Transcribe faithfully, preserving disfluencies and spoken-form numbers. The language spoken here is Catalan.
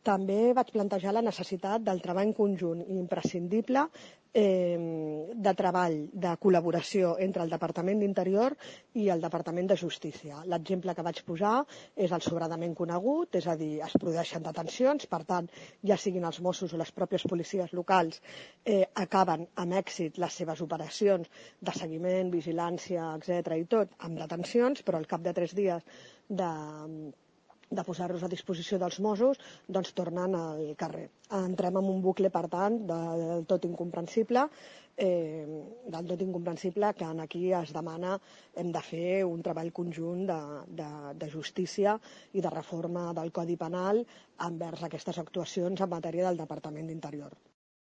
També vaig plantejar la necessitat del treball conjunt imprescindible eh, de treball, de col·laboració entre el Departament d'Interior i el Departament de Justícia. L'exemple que vaig posar és el sobradament conegut, és a dir, es produeixen detencions, per tant, ja siguin els Mossos o les pròpies policies locals, eh, acaben amb èxit les seves operacions de seguiment, vigilància, etcètera i tot, amb detencions, però al cap de tres dies de de posar-los a disposició dels Mossos, doncs tornen al carrer. Entrem en un bucle, per tant, del tot incomprensible, eh, del tot incomprensible que aquí es demana hem de fer un treball conjunt de, de, de justícia i de reforma del Codi Penal envers aquestes actuacions en matèria del Departament d'Interior.